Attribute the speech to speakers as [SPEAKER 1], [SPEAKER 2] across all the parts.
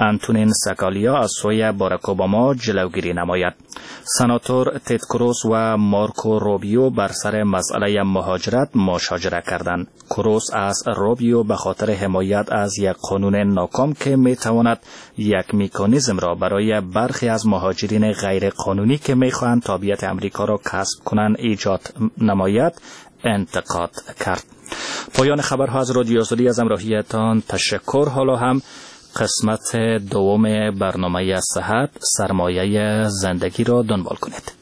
[SPEAKER 1] انتونین سکالیا از سوی باراک اوباما جلوگیری نماید. سناتور تد کروز و مارکو روبیو بر سر مسئله مهاجرت مشاجره کردند. کروز از روبیو به خاطر حمایت از یک قانون ناکام که میتواند یک مکانیزم را برای برخی از مهاجرین غیر قانونی که میخواهند تابعیت امریکا را کسب کنند ایجاد نماید انتقاد کرد. پایان خبرها از رادیو آزادی. از همراهیتان تشکر. حالا هم قسمت دوم برنامه صحت سرمایه زندگی را دنبال کنید.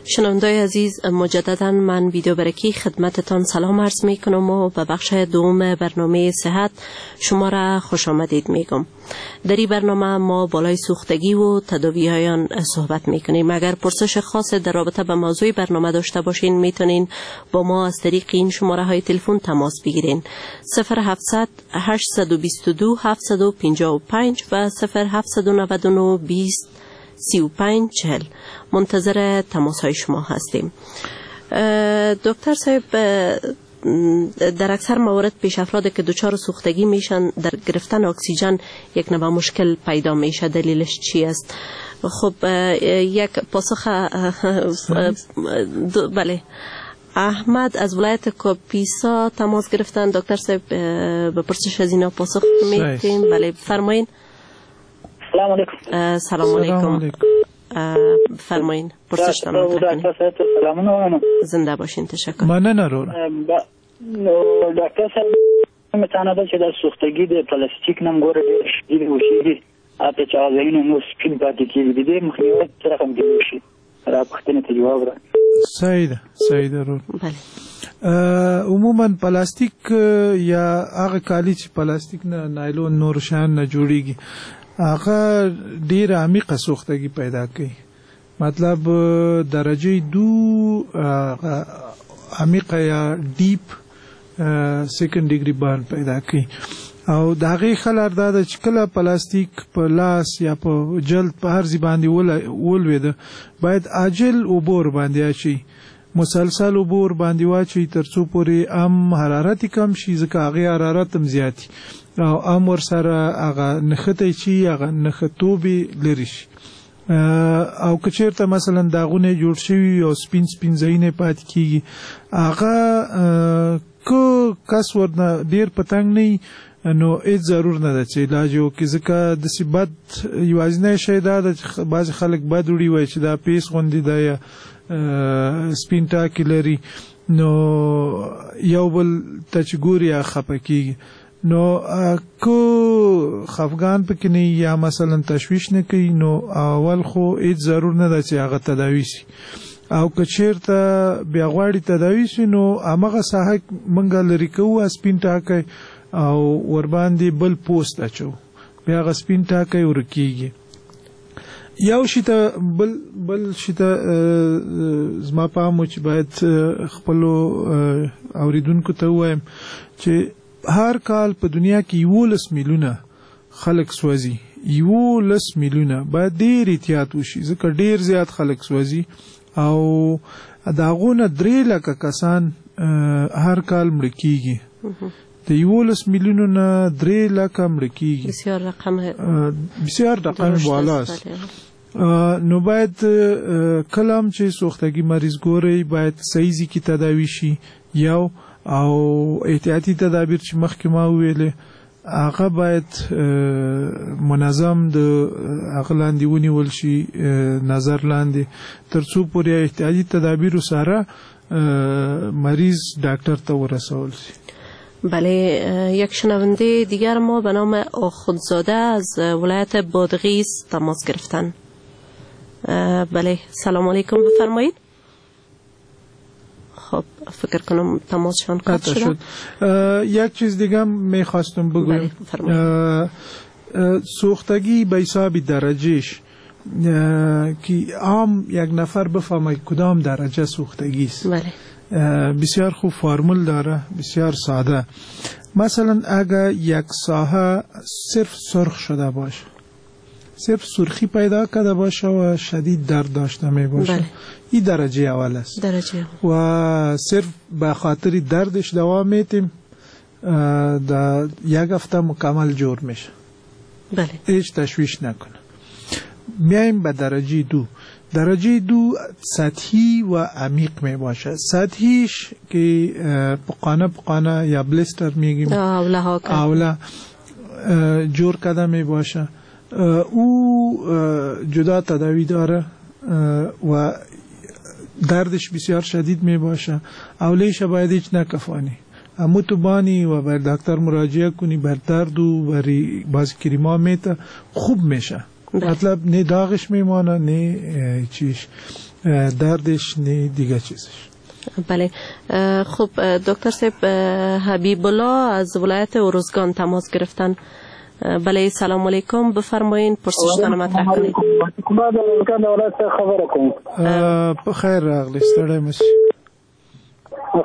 [SPEAKER 2] شنوندای عزیز، مجددا من ویدیو برکی خدمتتان سلام عرض می کنم و به بخش دوم برنامه صحت شما را خوش آمدید میگم. در این برنامه ما بالای سوختگی و تداوی های آن صحبت می کنیم. اگر پرسش خاص در رابطه به موضوع برنامه داشته باشین میتونین با ما از طریق این شماره های تلفن تماس بگیرین: 0700 822 755 و 0799 20 35 40. منتظر تماس های شما هستیم. دکتر صاحب، در اکثر موارد پیش افراد که دچار سوختگی میشن در گرفتن اکسیژن یک نوع مشکل پیدا میشه، دلیلش چی است؟ خب یک پاسخ. بله، احمد از ولایت کاپیسا تماس گرفتن. دکتر صاحب، به پرسش از اینا پاسخ میدیم. بله، فرمایین.
[SPEAKER 3] سلام علیکم.
[SPEAKER 2] سلام علیکم. فرمایین، پرسشتان مطرح کنین. زنده باشین، تشکر.
[SPEAKER 4] مننه وروره.
[SPEAKER 3] ډاکټر صاحب، مې ده چې د سوختګي د پلاستیک نم ګوره ډېر شدید وشي، حتی چې هغه ځایونه نور سپین پاتې کېږي، د دې مخنیوی څه رقم کېدای شي؟ را پوښتنې ته جواب را.
[SPEAKER 4] صحیح ده، صحیح ده ورور.
[SPEAKER 2] بله.
[SPEAKER 4] عموما پلاستیک یا هغه کالي چې پلاستیک نه، نایلون، نور شیان نه جوړیږي، هغه ډیره عمیقه سوختګي پیدا کوي. مطلب درجه 2 عمیقه یا deep second degree burn پیدا کوي. او د هغې ښه لار دا ده چې کله پلاستیک په لاس یا په جلد په هر ځای باندې ولوېده، باید عاجل اوبه ورباندې اچوي، مسلسل اوبه ورباندې واچوي تر څو پورې هم حرارت یې کم شي، ځکه هغې حرارت هم زیات او هم ورسره هغه نښتی چې هغه نښتوب یې لرې شي. او که چېرته مثلا داغونه جوړ شوي او سپین سپین ځایونه پاتې کېږي، هغه که کس ورنه ډېر په تنګ نه وي نو هېڅ ضرور نه ده چې علاج یې وکړي، ځکه داسې بد یوازینی شی دا ده چې بعضې خلک بد وړي، وایي چې دا پیس غوندې ده یا سپین ټاکي لري، نو یو بل ته چې ګوري هغه خفه کېږي. نو که خفګان پکې نه یا مثلا تشویش نه کوي، نو اول خو هېڅ ضرور نه ده چې هغه تداوي شي. او که چېرته بیا غواړي تداوي شي، نو همغه ساحه موږ لرې کوو سپین ټاکی او ورباندې بل پوست اچو، بیا هغه سپین ټاکی ورکېږي. یو شي ته بل شي ته زما پام و چې باید خپلو اورېدونکو ته ووایم چې هر کال په دنیا کې 11 میلیونه خلک سوځي. 11 میلیونه، باید ډېر احتیاط وشي، ځکه ډېر زیات خلک سوځي او د هغو نه 3 لکه کسان هر کال مړه کېږي. د 11 میلیونو نه 3 لکه مړه کېږي،
[SPEAKER 2] بسیار رقم،
[SPEAKER 4] بسیار رقم بالاست. نو باید کله هم چې سوختګي مریض ګورئ باید صحیح ځای کې تداوي شي یو، او احتیاطي تدابیر چې مخکې ما وویلې هغه باید منظم د هغه لاندې ونیول شي، نظر لاندې، تر څو پورې احتیاطي تدابیرو سره مریض ډاکټر ته ورسول شي.
[SPEAKER 2] بله، یک شنونده دیگر ما به نام آخوندزاده از ولایت بادغیس تماس گرفتن. بله، سلام علیکم، بفرمایید. خب فکر کنم تماسشان قطع شد.
[SPEAKER 4] یک چیز دیگه هم میخواستم بگویم. سوختگی به حساب درجهش که عام یک نفر بفهمه کدام درجه سوختگی است.
[SPEAKER 2] بله.
[SPEAKER 4] بسیار خوب فرمول داره، بسیار ساده. مثلا اگر یک ساحه صرف سرخ شده باشه، صرف سرخی پیدا کرده باشه و شدید درد داشته می باشه.
[SPEAKER 2] بله.
[SPEAKER 4] این درجه اول است.
[SPEAKER 2] درجه اول.
[SPEAKER 4] و صرف به خاطر دردش دوا میتیم، در یک هفته مکمل جور میشه.
[SPEAKER 2] بله.
[SPEAKER 4] هیچ تشویش نکنه. میایم به درجه دو. درجه دو سطحی و عمیق می باشه. سطحیش که پقانه پقانه یا blister میگیم، اوله جور کده می باشه، او جدا تداوی داره و دردش بسیار شدید می باشه. اولیش باید هیچ نکفانی، امو تو بانی و بر دکتر مراجعه کنی، بر درد و بر باز کریما میته خوب میشه. مطلب نه داغش میمانه، نه چیش دردش، نه دیگه چیزش.
[SPEAKER 2] بله. خب دکتر صاحب، حبیب الله از ولایت اورزگان تماس گرفتن. بله، سلام علیکم، بفرمایین پرسشتان مطرح کنید.
[SPEAKER 4] په خیر راغلی، ستړی مه شي.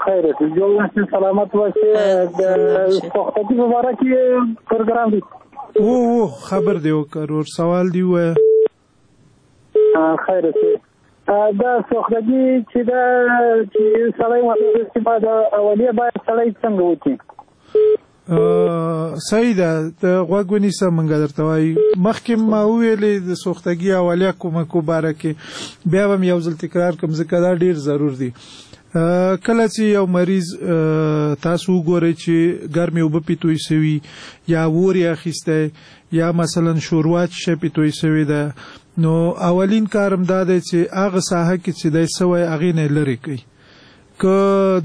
[SPEAKER 3] خیر جوړ اوسې، سلامت اوسې. د سوختګي مبارک پروګرام دی.
[SPEAKER 4] او خبر دی وکړ، ور سوال دی ووایه.
[SPEAKER 3] خیر اوسې. دا سوختګي چې دا چې سړی ورته چې دا اولیه باید سړی څنګه وکړي؟
[SPEAKER 4] صحیح ده، ته غوږ ونیسه، مونږ درته وایو. مخکې ما وویلې د سوختګي اولیه کومکو باره کې، بیا به مې یو ځل تکرار کړم ځکه دا ډېر ضرور دی. کله چې یو مریض تاسو وګورئ چې ګرمې اوبه پې توی سوي، یا اور یې اخیستی، یا مثلا شوروا چې شی پې توی سوې ده، نو اولین کار هم دا دی چې هغه ساحه کې چې دی سوی هغې نه یې لرې کوي. که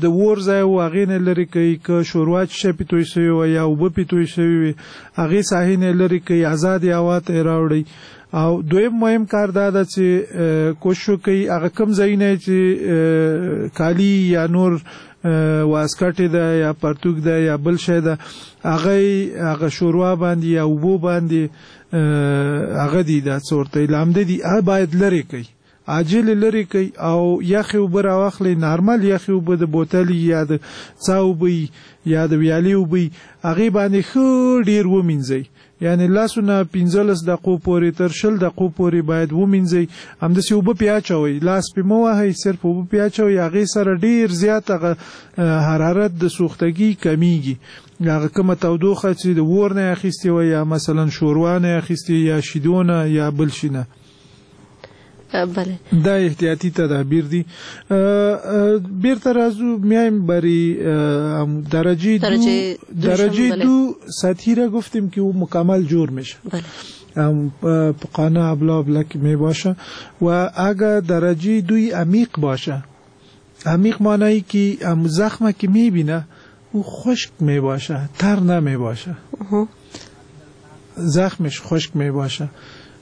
[SPEAKER 4] د اور ځای و هغې نه لرې کوي، که شوروا چې شی پې توی سوې وه یا اوبه پې توی سوې وي هغې ساحې نه یې لرې کوي، ازادې هوا ته یې راوړئ. او دویم مهم کار دا ده چې کوشش وکړئ هغه کوم ځایونه چې کالي یا نور واسکټې ده یا پرتوګ ده یا بل شی ده، هغه هغه شوروا باندې یا اوبو باندې هغه دي، دا څه ورته لامده دي، هغه باید لرې کوي، عاجل لرې کوي. او یخې اوبه راواخلئ، نارمل یخې اوبه د بوتلې یا د څا اوبه یا د ویالې اوبه، هغې باندې ښه ډېر ومینځئ، یعنی لاسونه 15 دقیقو پورې تر 20 دقیقو پورې باید ومینځئ. همداسې اوبه پې اچوئ، لاس پې مه وهئ، صرف اوبه پې اچوئ. هغې سره ډېر زیات هغه حرارت د سوختګي کمیږي. هغه کومه تودوخه چې د اور نه یې اخیستې وه یا مثلا شوروا نه یې اخیستې یا شیدو نه یا بل شي نه.
[SPEAKER 2] بله.
[SPEAKER 4] دا احتیاطي تدابیر دي. بیرته راځو، میایم بری درجه دو سطحی را گفتیم که او مکمل جور میشه.
[SPEAKER 2] بله.
[SPEAKER 4] پقانه ابلا ابلک می باشه. و اگر درجه دوی عمیق باشه، عمیق معنی که زخمه که میبینه او خشک می باشه، تر نمی باشه، زخمش خشک می باشه،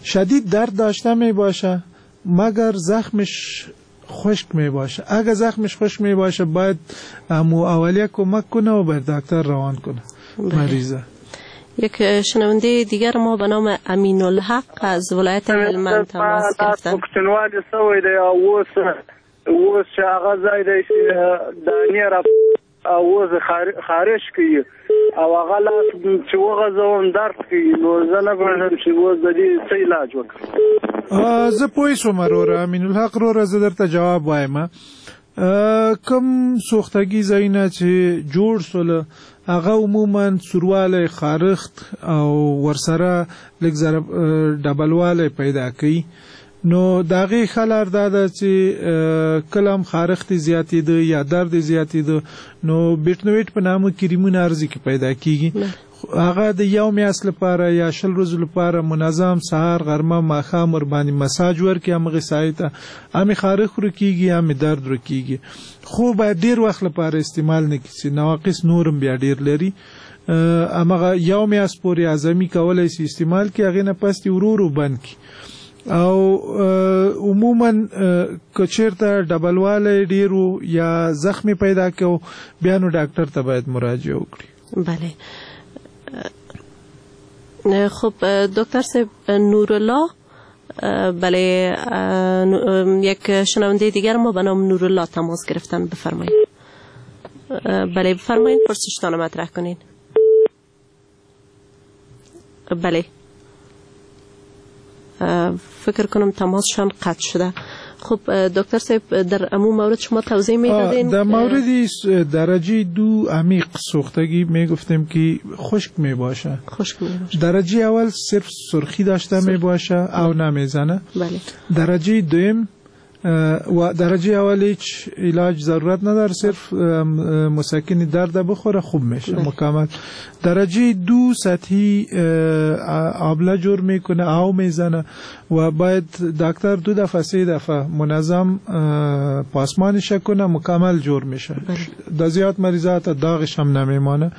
[SPEAKER 4] شدید درد داشته می باشه مگر زخمش خشک می باشه. اگر زخمش خشک می باشه باید امو اولیه کمک کنه و بر دکتر روان کنه مریضه.
[SPEAKER 2] یک شنونده دیگر ما به نام امین الحق از ولایت هلمند تماس گرفتن.
[SPEAKER 5] پښتونوالي سوی دی او اوس چې هغه ځای دی چې دانې را او اوس خارش کوي او هغه لاس چې وغځوم درد کوي، نو زه نه پوهېږم چې اوس د دې څه علاج وکړم.
[SPEAKER 4] زه پوه شوم وروره امین الحق وروره، زه درته جواب وایم. کوم سوختګي ځایونه چې جوړ سول هغه عموما سوروالی، خارښت او ورسره لږ ذره ډبلوالی پیدا کوي. نو د هغې ښه لار دا ده چې کله هم خارښت یې زیاتېده یا درد یې زیاتېده، نو بیټنویټ په نامه کریمونه هر ځای کې پیدا کیږي. هغه د یو میاشت لپاره یا 20 ورځو لپاره منظم سهار، غرمه، ماښام ورباندې مساج ورکړي همغې ساحې ته، هم یې خارښت ورکېږي هم یې درد ورکېږي. خو باید ډېر وخت لپاره استعمال نه کړي چې نواقص نور هم بیا ډېر لري. همغه یو میاشت پورې اعظمي کولی شي استعمال کړي، هغې نه پس دې ورو ورو بند کړي. او عموما که چېرته ډبلوالی ډېر و یا زخمې پیدا کو، بیا نو ډاکټر ته باید مراجعه وکړي.
[SPEAKER 2] بله. خب دکتر صاحب نورالله، بله یک شنونده دیگر ما به نام نورالله تماس گرفتن، بفرمایید. بله بفرمایید، پرسشتان مطرح کنین. بله. فکر کنم تماسشان قطع شده. خب دکتر صاحب در امو مورد شما توضیح میدادین.
[SPEAKER 4] در مورد درجه 2 عمیق سوختگی میگفتیم که خشک میباشه.
[SPEAKER 2] خشک میباشه.
[SPEAKER 4] درجه اول صرف سرخی داشته میباشه او نمیزنه.
[SPEAKER 2] بله.
[SPEAKER 4] درجه دوم و درجه اول هیچ علاج ضرورت نداره، صرف مسکن درد بخوره خوب میشه. بله. مکمل. درجه 2 سطحی آبله جور میکنه، او میزنه و باید دکتر 2 دفعه 3 دفعه منظم پاسمانش کنه، مکمل جور میشه.
[SPEAKER 2] بله.
[SPEAKER 4] در زیاد مریضات داغش هم نمیمانه.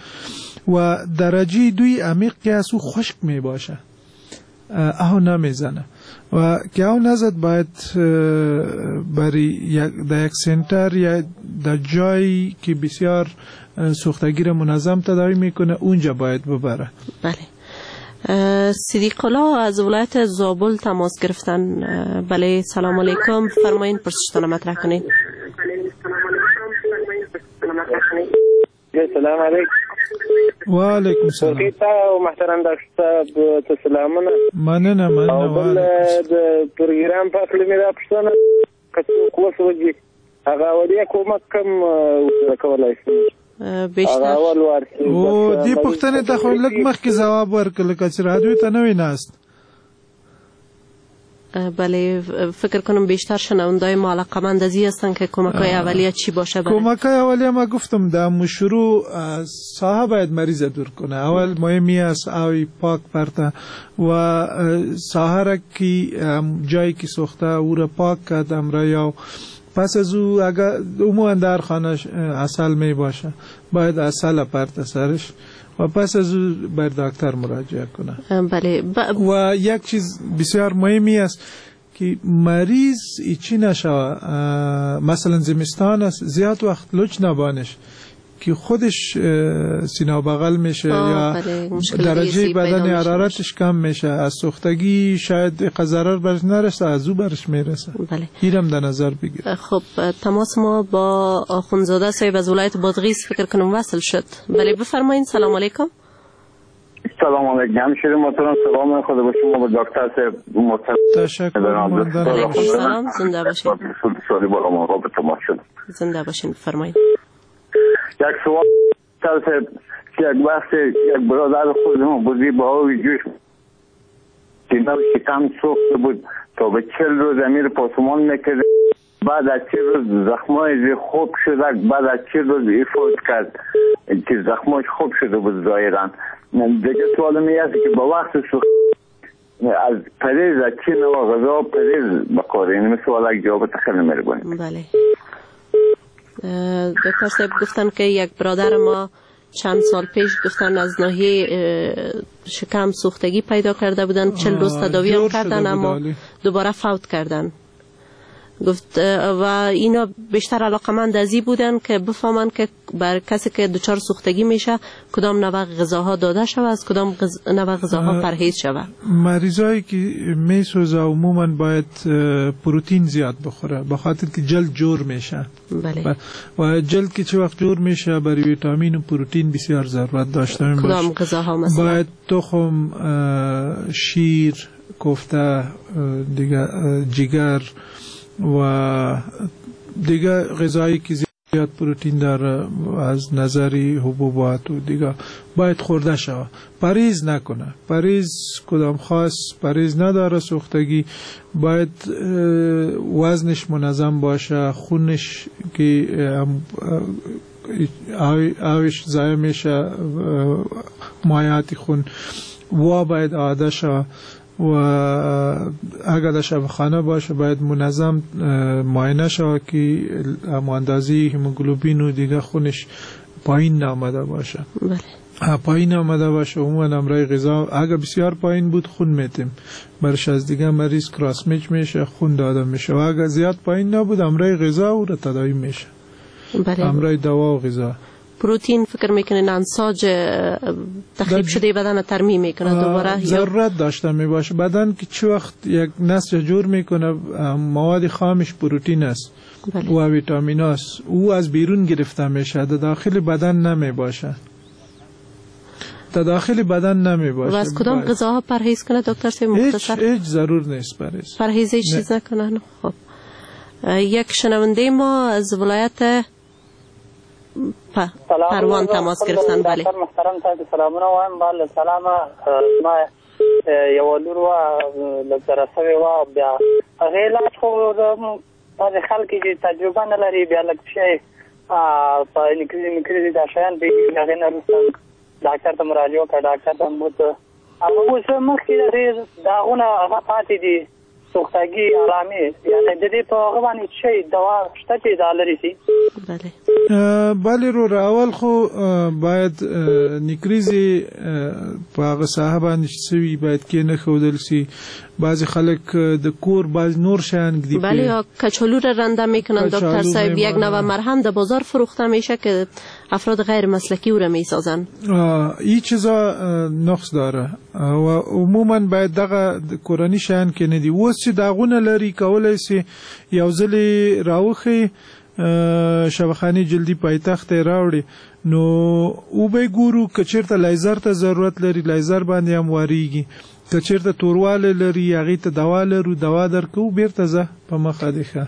[SPEAKER 4] و درجه 2 عمیق که از او خشک میباشه، او نمیزنه و که او نزد باید برای در یک سنتر یا در جایی که بسیار سوختگی را منظم تداوی میکنه اونجا باید ببره.
[SPEAKER 2] بله. صدیق الله از ولایت زابل تماس گرفتن. بله سلام علیکم، فرمایین پرسشتان مطرح کنین.
[SPEAKER 6] سلام علیکم.
[SPEAKER 4] و علیکم سلام.
[SPEAKER 6] محترم دکتر صاحب ته سلامونه.
[SPEAKER 4] مننه مننه.
[SPEAKER 6] او بل د پروګرام په اړه مې دا پوښتنه که څوک وسوځي هغه اولیه کومک کم ورسره کولای شي؟
[SPEAKER 2] بیشتر
[SPEAKER 4] او دې پوښتنې ته خو لږ مخکې ځواب ورکړ لکه چې رادیو ته نه وي ناست.
[SPEAKER 2] بله فکر کنم بیشتر شنوندای ما علاقمند از این هستن که کمک های اولیه چی باشه.
[SPEAKER 4] کمک های اولیه ما گفتم در شروع ساحه باید مریض دور کنه. اول مهمی است اوی پاک پرته و ساحه را که جایی که سوخته او را پاک کرد امرا یا پس از او اگر عموما در خانه عسل می باشه باید عسل پرته سرش و پس از او بر دکتر مراجعه کنه.
[SPEAKER 2] بله.
[SPEAKER 4] و یک چیز بسیار مهمی است که مریض ایچی نشوه، مثلا زمستان است زیاد وقت لچ نبانش که خودش سینه بغل میشه یا درجه بدن حرارتش کم میشه، از سوختگی شاید ضرر برش نرسه، از او برش میرسه.
[SPEAKER 2] بله.
[SPEAKER 4] اینم در نظر بگیر.
[SPEAKER 2] خب تماس ما با آخوندزاده صاحب از ولایت بادغیس فکر کنم وصل شد. بله بفرمایین. سلام علیکم.
[SPEAKER 7] سلام علیکم. همشهری محترم، سلام خدا به شما و دکتر صاحب محترم.
[SPEAKER 4] تشکر.
[SPEAKER 2] علیکم سلام. زنده باشین. زنده باشین. بفرمایین.
[SPEAKER 7] یک سوال که یک وقت یک برادر خودمون بودی با آب جوش سینه و شکم سوخته بود تا به 40 روز امیر پاسمان میکرد، بعد از 40 روز زخمای خوب شده، بعد از 40 روز افوت کرد که زخماش خوب شده بود ظاهرا. دیگه سوال می است که با وقت سوخت از پریز از چه نوع غذا پریز بخوریم؟ این سوال یک جواب خیلی مهربانی.
[SPEAKER 2] بله دکتر صاحب گفتن که یک برادر ما چند سال پیش گفتن از ناحیه شکم سوختگی پیدا کرده بودن، 40 روز تداوی هم کردن اما دوباره فوت کردن. گفت و اینا بیشتر علاقمند از این بودن که بفهمن که بر کسی که دچار سوختگی میشه کدام نوع غذاها داده شود، از کدام نوع غذاها پرهیز شود.
[SPEAKER 4] مریضایی که میسوزه عموما باید پروتئین زیاد بخوره به خاطر که جلد جور میشه.
[SPEAKER 2] بله.
[SPEAKER 4] و جلد که چه وقت جور میشه برای ویتامین و پروتئین بسیار ضرورت داشته میباشه.
[SPEAKER 2] کدام غذاها مثلا؟
[SPEAKER 4] باید تخم، شیر، کوفته، دیگه جگر و دیگه غذایی که زیاد پروتئین داره از نظر حبوبات و دیگه باید خورده شود. پریز نکنه، پریز کدام خاص پریز نداره سوختگی، باید وزنش منظم باشه، خونش که آوش ضایع میشه، مایعات خون و باید عاده شود. و اگر در شفاخانه باشه باید منظم معاینه شود که اندازه هموگلوبین و دیگه خونش پایین نامده باشه.
[SPEAKER 2] بله.
[SPEAKER 4] پایین آمده باشه عموما امرای غذا اگر بسیار پایین بود خون میتیم برش از دیگه مریض کراس میچ میشه، خون داده میشه، و اگر زیاد پایین نبود امرای غذا او را تداوی میشه.
[SPEAKER 2] بله.
[SPEAKER 4] امرای دوا و غذا.
[SPEAKER 2] پروتئین فکر میکنین انساج تخریب شده بدن ترمیم میکنه دوباره؟
[SPEAKER 4] ضرورت داشته میباشه بدن که چه وقت یک نسج جور میکنه مواد خامش پروتئین است.
[SPEAKER 2] بله.
[SPEAKER 4] و ویتامین است، او از بیرون گرفته میشه، در داخل بدن نمیباشه. تا داخل بدن نمی باشه.
[SPEAKER 2] و از کدام غذاها پرهیز کنه دکتر صاحب مختصر؟
[SPEAKER 4] هیچ ضرور نیست پرهیز.
[SPEAKER 2] پرهیز هیچ چیز نکنن. خب یک شنونده ما از ولایت پروان تماس گرفتن. بله
[SPEAKER 8] ډاکټر محترم تاسو سلامونه وایم. بله سلام. ما یو لور وه لږ سره سوې وه، بیا هغې علاج خو بعضې خلک چې تجربه نه لري بیا لږ شی په نکریزې مکریزې دا شیان پېږي، هغې نه وروسته ډاکټر ته مراجعه وکړه، ډاکټر ته بوته. هغه اوس مخکې د دې داغونه هغه پاتې دي، سوختګي علامې، یعنې د دې په هغه باندې شی دوا شته چې دا لرې شي؟
[SPEAKER 2] بله
[SPEAKER 4] بله وروره، اول خو باید نکریزې په هغه ساحه باندې چې څه وي باید کېنښودل شي. بعضی خلک د کور بعضی نور شیان ږدي.
[SPEAKER 2] بله، یا کچالو را رنده میکنن دکتر صاحب. یک نوع مرهم در بازار فروخته میشه که افراد غیر مسلکی او را میسازن.
[SPEAKER 4] این چیزا نقص داره و عموما باید دغه کورني شیان کې نه دي. اوس چې داغونه لري کولی شي یو ځلې راوښیي شبخانې جلدي پایتخت ته یې راوړي، نو وبه یې ګورو. که چېرته لایزر ته ضرورت لري لایزر باندې هم واریږي، که چېرته توروالی لري هغې ته دوا لرو، دوا درکوو، بیرته ځه په مخه دې ښه.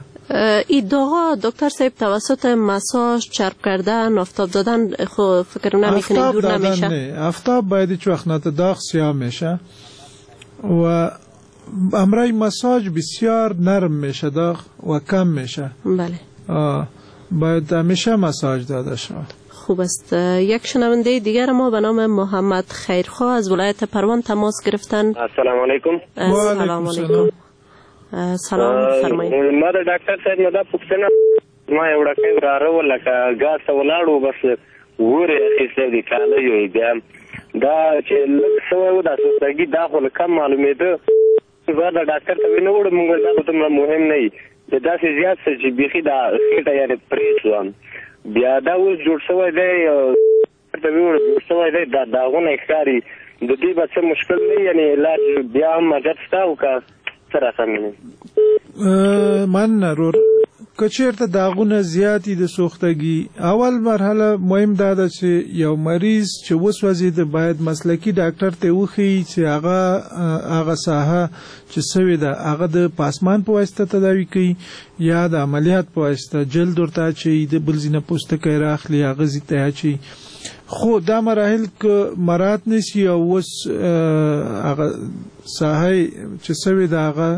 [SPEAKER 2] این داغا دکتر صاحب توسط مساژ، چرب کردن، آفتاب دادن خو فکر نمیکنین دور نمیشه؟
[SPEAKER 4] نه، آفتاب باید هیچ وقت نه، داغ سیاه میشه و امرای مساژ بسیار نرم میشه داغ و کم میشه.
[SPEAKER 2] بله
[SPEAKER 4] باید همیشه مساژ داده شود.
[SPEAKER 2] خوب است. یک شنونده دیگر ما به نام محمد خیرخواه از ولایت پروان تماس گرفتن.
[SPEAKER 6] السلام علیکم.
[SPEAKER 2] السلام علیکم. سلام فرمایئ.
[SPEAKER 6] ما د ډاکټر صاحب نه دا پوښتنه، ما یو وړوکی وراره و لکه ګاز ته ولاړ و، بس ور یې اخیستی دی کالیو یې، بیا دا چې لږ سوی و دا سوختګي دا خو کم معلومېده، بیا د ډاکټر ته وینه وړو، موږ دا خو دومره مهم نه وي، د داسې زیات څه چې بیخي دا خېټه یعنې پرې شوه، بیا دا اوس جوړ شوی دی، ته ویوړو جوړ شوی دی، دا داغونه یې ښکاري، د دې به څه مشکل نه وي، یعنې علاج بیا هم عجب شته او که څه رقم وي؟
[SPEAKER 4] مننه رور. که چېرته داغونه زیات دي د سوختګي، اول مرحله مهم دا ده چې یو مریض چې وسوځېده باید مسلکي ډاکټر ته وښیي چې هغه هغه ساحه چې سوې ده هغه د پاسمان په واسطه تداوي کوي یا د عملیات په واسطه، جلد ورته اچوي، د بل ځای نه پوستکی راخلي هغه ځای ته اچوي. خو دا مراحل که مراعات نه شي او اوس هغه ساحه چې سوې ده هغه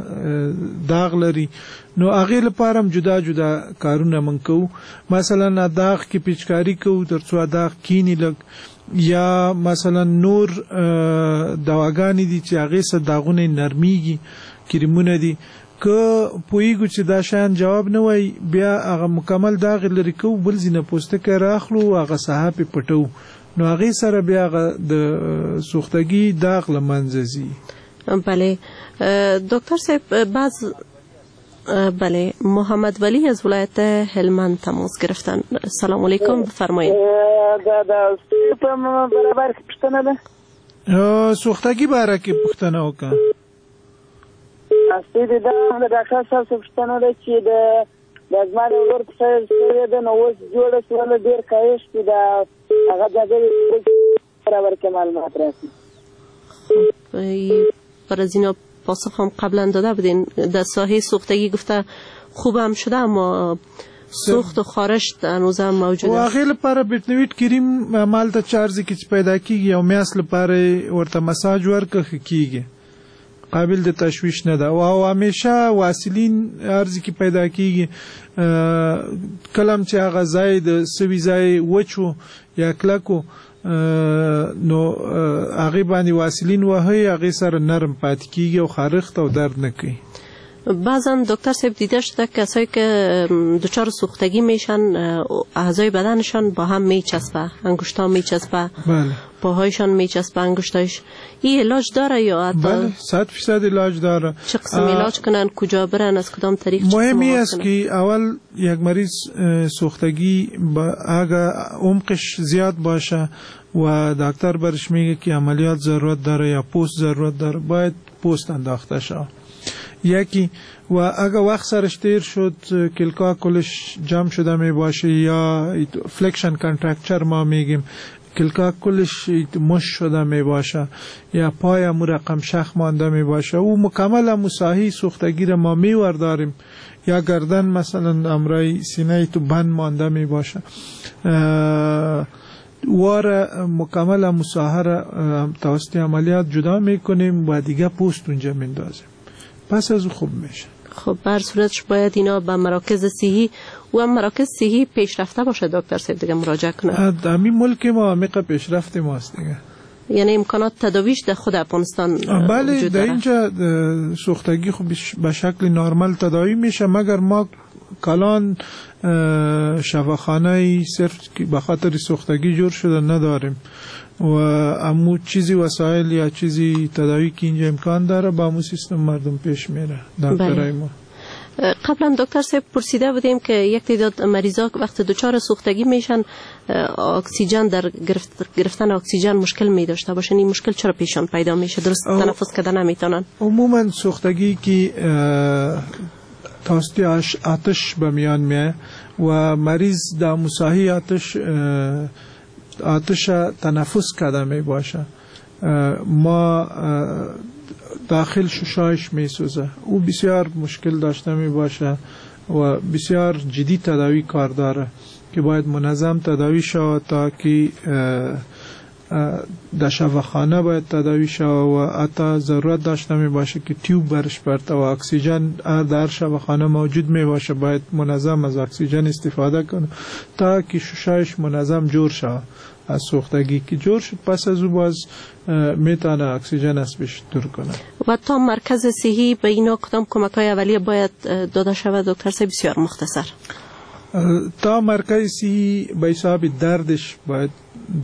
[SPEAKER 4] داغ لري، نو هغې لپاره هم جدا جدا کارونه موږ کوو. مثلا داغ کې پیچکاري کوو تر څو داغ کیني لږ، یا مثلا نور دواګانې دي چې هغې سره داغونه یې نرمیږي، کریمونه دي. که پوهیږو چې دا شیان جواب نه وایي بیا هغه مکمل داغ یې لرې کوو، بل ځای نه پوستکی راخلو هغه ساحه پرې پټوو، نو هغې سره بیا هغه د سوختګي داغ له منځه ځي.
[SPEAKER 2] بله دکتر صاحب، بعض بله محمد ولی از ولایت هلمند تماس گرفتن. سلام علیکم، بفرمایید.
[SPEAKER 9] دا د په برابر کې پوښتنه ده.
[SPEAKER 4] سوختګي باره کې پوښتنه وکړه.
[SPEAKER 9] اصلي دا د ډاکټر صاحب څخه پوښتنه ده چې د زما د ورور پښه سوې ده، نو اوس جوړه شوله، ډېر کاهش دی، دا هغه ځانګړې برابر کې معلومات راکړي.
[SPEAKER 2] برای از اینا پاسخ هم قبلا داده بودین. در ساحه سوختگی گفته خوب هم شده اما سوخت و خارش هنوز هم موجود است.
[SPEAKER 4] هغې لپاره بیټنویټ کریم مالته چارځي کې چې پیدا کیږي یو میاشت لپاره ورته مساج ورکړه ښه کیږي، قابل د تشویش نه ده. او همیشه واسلین هر ځای کې پیدا کیږي، کله هم چې هغه ځای د سوي ځای وچ و یا کلک و نو هغې باندې واسلین وهئ، هغې سره نرم پاتې کیږي او خارښت او درد نه کوي.
[SPEAKER 2] بعضا دکتر صاحب دیده شده کسایی که دچار سوختگی میشن اعضای بدنشان با هم میچسبه، انگشتا میچسبه،
[SPEAKER 4] بله،
[SPEAKER 2] پاهایشان میچسبه، انگشتایش. این علاج داره یا حتی؟
[SPEAKER 4] بله، 100% علاج داره.
[SPEAKER 2] چه قسم علاج کنن، کجا برن، از کدام طریق؟
[SPEAKER 4] مهم است که اول یک مریض سوختگی اگه عمقش زیاد باشه و دکتر برش میگه که عملیات ضرورت داره یا پوست ضرورت داره، باید پوست انداخته شود. یکی و اگه وقت سرش تیر شد کلکا کلش جمع شده می باشه یا flexion contracture ما میگیم، کلکا کلش مش شده می باشه یا پای امو رقم شخ مانده می باشه، او مکمل امو ساحی سوختگی را ما می ورداریم، یا گردن مثلا امرای سینه تو بند مانده می باشه، وار مکمل امو ساحه را توسط عملیات جدا میکنیم و دیگه پوست اونجا میندازیم، پس از او خوب میشه.
[SPEAKER 2] خب بر صورتش باید اینا به مراکز صحی و مراکز صحی پیشرفته باشه دکتر صاحب دیگه مراجعه کنه.
[SPEAKER 4] همین ملک ما عمیق پیشرفت ماست دیگه،
[SPEAKER 2] یعنی امکانات تداویش در خود افغانستان
[SPEAKER 4] بله
[SPEAKER 2] وجود
[SPEAKER 4] در
[SPEAKER 2] داره.
[SPEAKER 4] اینجا سوختگی خب به شکل نرمال تداوی میشه، مگر ما کلان شفاخانه صرف به خاطر سوختگی جور شده نداریم و امو چیزی وسایل یا چیزی تداوی که اینجا امکان داره با امو سیستم مردم پیش میره دکترای ما.
[SPEAKER 2] قبلا دکتر صاحب پرسیده بودیم که یک تعداد مریضا وقت دچار سوختگی میشن اکسیژن در گرفتن اکسیژن مشکل می داشته باشن، این مشکل چرا پیشان پیدا میشه؟ درست تنفس کردن نمیتونن.
[SPEAKER 4] عموما سوختگی که توسط آتش به میان میه و مریض در مساحی آتش تنفس کرده می باشه، ما داخل ششایش می سوزه، او بسیار مشکل داشته می باشه و بسیار جدی تداوی کار داره که باید منظم تداوی شود تا که در شفاخانه باید تداوی شود و حتی ضرورت داشته می باشه که تیوب برش برته و اکسیژن در شفاخانه موجود می باشه، باید منظم از اکسیژن استفاده کنه تا که ششایش منظم جور شود. از سوختگی که جور شد پس از او باز میتونه اکسیژن از پیش دور کنه.
[SPEAKER 2] و تا مرکز صحی به اینا کدام کمک های اولیه باید داده شود دکتر صاحب؟ بسیار مختصر.
[SPEAKER 4] تا مرکز صحی به حساب دردش باید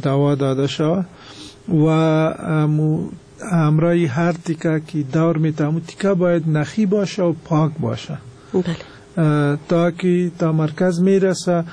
[SPEAKER 4] دوا داده شود و همراه هر تیکه که دور میته تیکه باید نخی باشه و پاک باشه.
[SPEAKER 2] بله.
[SPEAKER 4] تا که تا مرکز میرسه